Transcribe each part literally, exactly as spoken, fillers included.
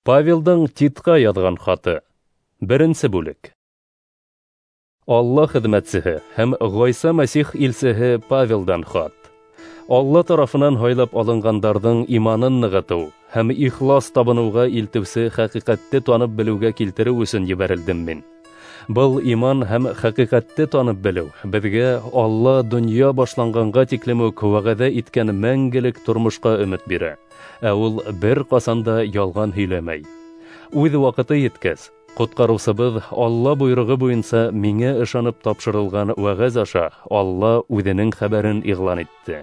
Павелдың Титҡа яҙған хаты. Беренсе бүлек. Алла хеҙмәтсеһе һәм Ғайса Мәсих илсеһе Павелдан хат. Алла тарафынан һайлап алынғандарҙың иманын нығытыу һәм ихлас табыныуға илтеүсе хәҡиҡәтте танып белеүгә килтереү өсөн ебәрелдем мин. Был иман һәм хәҡиҡәтте танып белеү беҙгә Алла донъя башланғанға тиклем үк вәғәҙә иткән мәңгелек тормошҡа өмөт бирә. Ә ул бер ҡасан да ялған һөйләмәй. Үҙ ваҡыты еткәс, Ҡотҡарыусыбыҙ Алла бойороғо буйынса миңә ышанып тапшырылған вәғәз аша Алла үҙенең хәбәрен иғлан итте.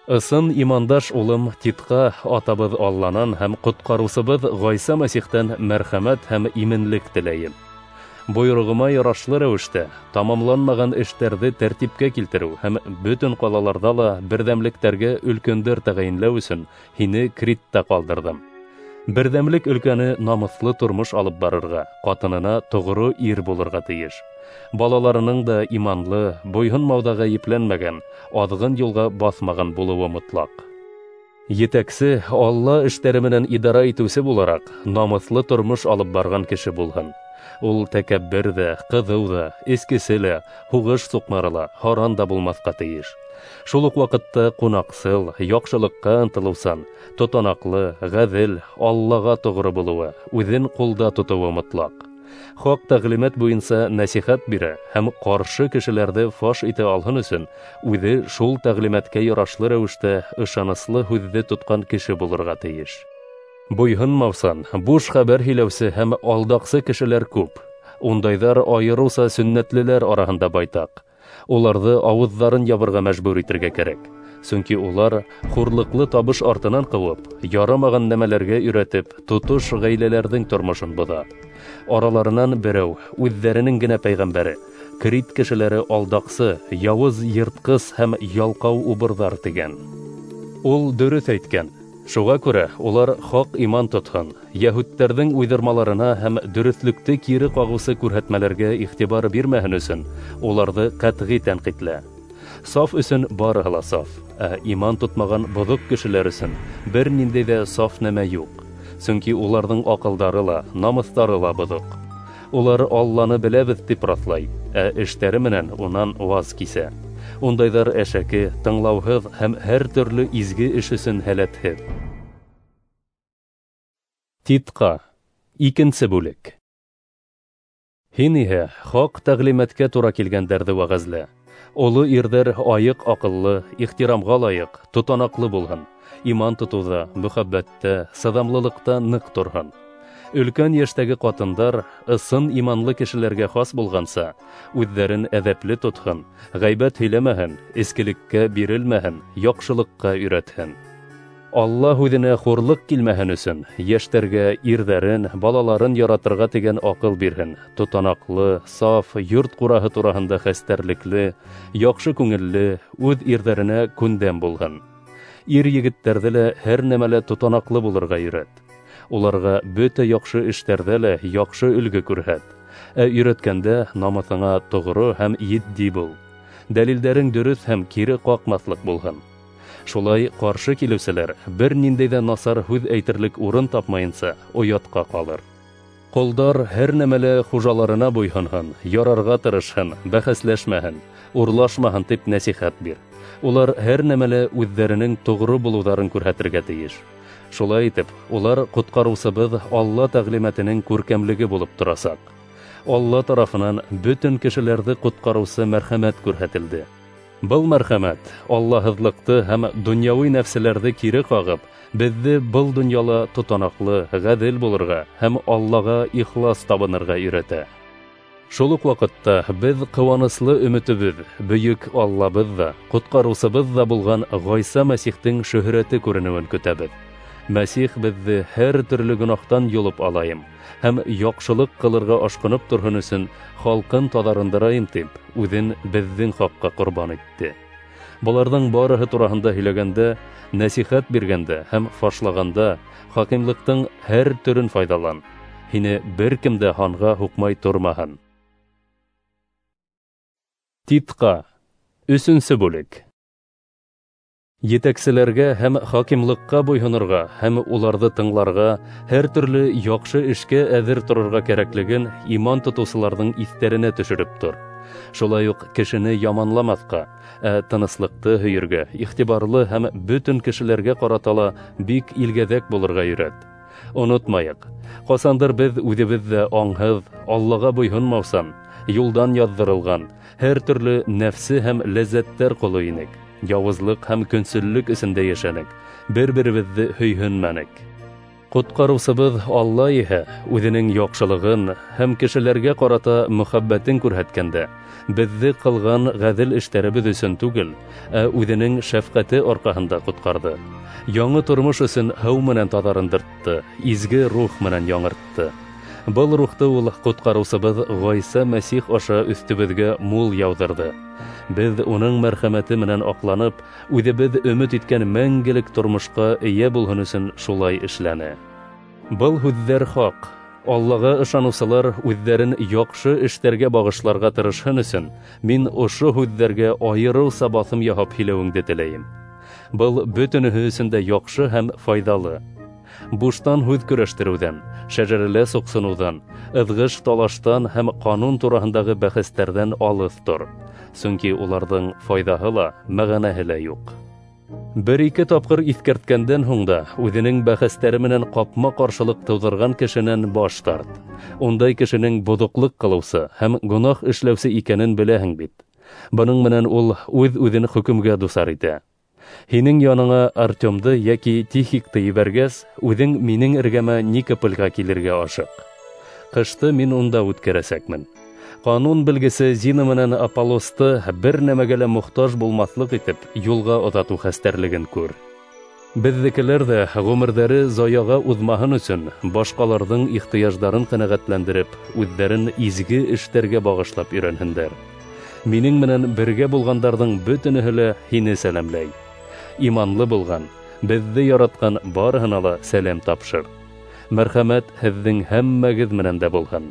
Ысын имандаш улым Титҡа атабыҙ Алланан һәм Ҡотҡарыусыбыҙ Ғайса Мәсихтән мәрхәмәт һәм именлек теләйем. Бойороғома ярашлы рәүештә тамамланмаған эштәрҙе тәртипкә килтереү һәм бөтөн ҡалаларҙа ла берҙәмлектәргә өлкәндәр тәғәйенләү өсөн һине Критта ҡалдырҙым. Берҙәмлек өлкәне намыҫлы тормош алып барырға, ҡатынына тоғро ир булырға тейеш. Балаларының да иманлы, буйһонмауҙа ғәйепләнмәгән, аҙғын юлға баҫмаған булыуы мотлаҡ. Етәксе Алла эштәре менән идара итеүсе булараҡ, намыҫлы тормош алып барған кеше булһын. Ул тәкәббер ҙә, ҡыҙыу ҙа, эскесе лә, һуғыш суҡмары ла, һаран да булмаҫҡа тейеш. Шул уҡ ваҡытта ҡунаҡсыл, яҡшылыҡҡа ынтылыусан, тотанаҡлы, ғәҙел, Аллаға тоғро булыуы, үҙен ҡулда тотоуы мотлаҡ. Хаҡ тәғлимәт буйынса нәсихәт бирә һәм ҡаршы кешеләрҙе фаш итә алһын өсөн үҙе шул тәғлимәткә ярашлы рәүештә ышаныслы һүҙҙе тотҡан кеше булырға тейеш. Буйһонмаусан, буш хәбәр һөйләүсе һәм алдаҡсы кешеләр күп. Ундайҙар айырыуса сөннәтлеләр араһында байтаҡ. Уларҙы ауыҙҙарын ябырға мәжбүр итергә кәрәк. Сөнки улар хурлыҡлы табыш артынан ҡыуып, ярамаған нәмәләргә өйрәтеп, тотош ғаиләләрҙең тормошон боҙа. Араларынан берәү, үҙҙәренең генә пәйғәмбәре, Крит кешеләре алдаҡсы, яуыз йыртҡыс һәм ялҡау убырҙар тигән. Ул дөрөҫ әйткән. Шуға күрә улар хаҡ иман тотһон, йәһүдтәрҙең уйҙырмаларына һәм дөрөҫлөктө кире ҡағыусы күрһәтмәләргә иғтибар бирмәһен өсөн уларҙы ҡәтғи тәнҡитлә. Саф өсөн барыһы ла саф, ә иман тотмаған боҙоҡ кешеләр өсөн бер ниндәй ҙә саф нәмә юҡ. Сөнки уларҙың аҡылдары ла, намыҫтары ла боҙоҡ. Улар Алланы беләбеҙ тип раҫлай, ә эштәре менән унан ваз кисә. Ундайҙар әшәке, тыңлауһыҙ һәм һәр төрлө изге эш өсөн һәләтһеҙ. Титҡа, икенсе бүлек. Һин иһә хаҡ тәғлимәткә тура килгәндәрҙе вәғәзлә. Оло ирҙәр айыҡ аҡыллы, ихтирамға лайыҡ, тотанаҡлы булһын. Иман тотоуҙа, мөхәббәттә, сыҙамлылыҡта ныҡ торһон. Өлкән йәштәге ҡатындар ысын иманлы кешеләргә хас булғанса, үҙҙәрен әҙәпле тотһон, ғәйбәт һөйләмәһен, эскелеккә бирелмәһен, яҡшылыҡҡа өйрәтһен. Алла һүҙенә хурлыҡ килмәһен өсөн йәштәргә ирҙәрен, балаларын яратырға тигән аҡыл бирһен, тотанаҡлы, саф, йорт ҡураһы тураһында хәстәрлекле, яҡшы күңелле, үҙ ирҙәренә күндәм булһын. Ир егеттәрҙе лә һәр нәмәлә тотанаҡлы булырға өйрәт. Уларға бөтә яҡшы эштәрҙә лә яҡшы өлгө күрһәт. Ә өйрәткәндә намыҫыңа тоғро һәм етди бул. Дәлилдәрең дөрөҫ һәм кире ҡаҡмаҫлыҡ булһын. Шулай ҡаршы килеүселәр бер ниндәй ҙә насар һүҙ әйтерлек урын тапмайынса оятҡа ҡалыр. Ҡолдар һәр нәмәлә хужаларына буйһонһон, ярарға тырышһын, бәхәсләшмәһен, урлашмаһын тип нәсихәт бир. Улар һәр нәмәлә үҙҙәренең тоғро булыуҙарын күрһәтергә тейеш. Шулай итеп, улар Ҡотҡарыусыбыҙ Алла тәғлимәтенең күркәмлеге булып торасаҡ. Алла тарафынан бөтөн кешеләрҙе ҡотҡарыусы мәрхәмәт күрһәтелде. Был мәрхәмәт аллаһыҙлыҡты һәм донъяуи нәфселәрҙе кире ҡағып, беҙҙе был донъяла тотанаҡлы, ғәҙел булырға һәм Аллаға ихлас табынырға өйрәтә. Шул уҡ ваҡытта беҙ ҡыуаныслы өмөтөбөҙ, бөйөк Аллабыҙ ҙа, Ҡотҡарыусыбыҙ ҙа булған Ғайса Мәсихтең шөһрәте күренеүен көтәбеҙ. Мәсих беҙҙе һәр төрлө гонаһтан йолоп алайым һәм яҡшылыҡ ҡылырға ашҡынып торһон өсөн халҡын таҙарындырайым тип, үҙен беҙҙең хаҡҡа ҡорбан итте. Быларҙың барыһы тураһында һөйләгәндә, нәсихәт биргәндә һәм фашлағанда хакимлыҡтың һәр төрөн файҙалан. Һине бер кем дә һанға һуҡмай тормаһын. Титҡа, өсөнсө бүлек. Етәкселәргә һәм хакимлыҡҡа буйһонорға һәм уларҙы тыңларға, һәр төрлө яҡшы эшкә әҙер торорға кәрәклеген иман тотоусыларҙың иҫтәренә төшөрөп тор. Шулай уҡ кешене яманламаҫҡа, ә тыныслыҡты һөйөргә, иғтибарлы һәм бөтөн кешеләргә ҡарата ла бик илгәҙәк булырға өйрәт. Онотмайыҡ, ҡасандыр беҙ үҙебеҙ ҙә аңһыҙ, Аллаға буйһонмаусан, юлдан яҙҙырылған, һәр төрлө нәфсе һәм ләззәттәр ҡоло инек. Яуызлыҡ һәм көнсөллөк эсендә йәшәнек, бер-беребеҙҙе һөйһөнмәнек. Ҡотҡарыусыбыҙ Алла иһә үҙенең яҡшылығын һәм кешеләргә ҡарата мөхәббәтен күрһәткәндә, беҙҙе ҡылған ғәҙел эштәребеҙ өсөн түгел, ә үҙенең шәфҡәте арҡаһында ҡотҡарҙы. Яңы тормош өсөн һыу менән таҙарындыртты, изге рух менән яңыртты. Был рухты ул ҡотҡарыусыбыҙ Ғайса Мәсих аша өҫтөбөҙгә мул яуҙырҙы. Беҙ уның мәрхәмәте менән аҡланып, үҙебеҙ өмөт иткән мәңгелек тормошҡа эйә булһын өсөн шулай эшләне. Был һүҙҙәр хаҡ. Аллаға ышаныусылар үҙҙәрен яҡшы эштәргә бағышларға тырышһын өсөн, мин ошо һүҙҙәргә айырыуса баҫым яһап һөйләүеңде теләйем. Был бөтөнөһө өсөн дә яҡшы һәм файҙалы. Буштан һүҙ көрәштереүҙән, шәжәрәлә соҡсоноуҙан, ыҙғыш талаштан һәм ҡанун тураһындағы бәхәстәрҙән алыҫ тор. Сөнки уларҙың файҙаһы ла, мәғәнәһе лә юҡ. Бер-ике тапҡыр иҫкәрткәндән һуң да үҙенең бәхәстәре менән ҡапма-ҡаршылыҡ тыуҙырған кешенән баш тарт. Ундай кешенең боҙоҡлоҡ ҡылыусы һәм гонаһ эшләүсе икәнен беләһең бит. Бының менән ул үҙ-үҙен хөкөмгә дусар итә. Һинең яныңа Артемды йәки Тихикты ебәргәс, үҙең минең эргәмә Никопольға килергә ашыҡ. Ҡышты мин унда үткәрәсәкмен. Ҡанун белгесе Зина менән Аполлосты бер нәмәгә лә мохтаж булмаҫлыҡ итеп юлға оҙатыу хәстәрлеген күр. Беҙҙекеләр ҙә ғүмерҙәре заяға уҙмаһын өсөн башҡаларҙың ихтыяждарын ҡәнәғәтләндереп, үҙҙәрен изге эштәргә бағышлап өйрәнһендәр. Минең менән бергә булғандарҙың бөтөнөһө лә һине сәләмләй. Иманлы булған, беҙҙе яратҡан барыһына ла сәләм тапшыр. Мәрхәмәт һеҙҙең һәммәгеҙ менән дә булһын.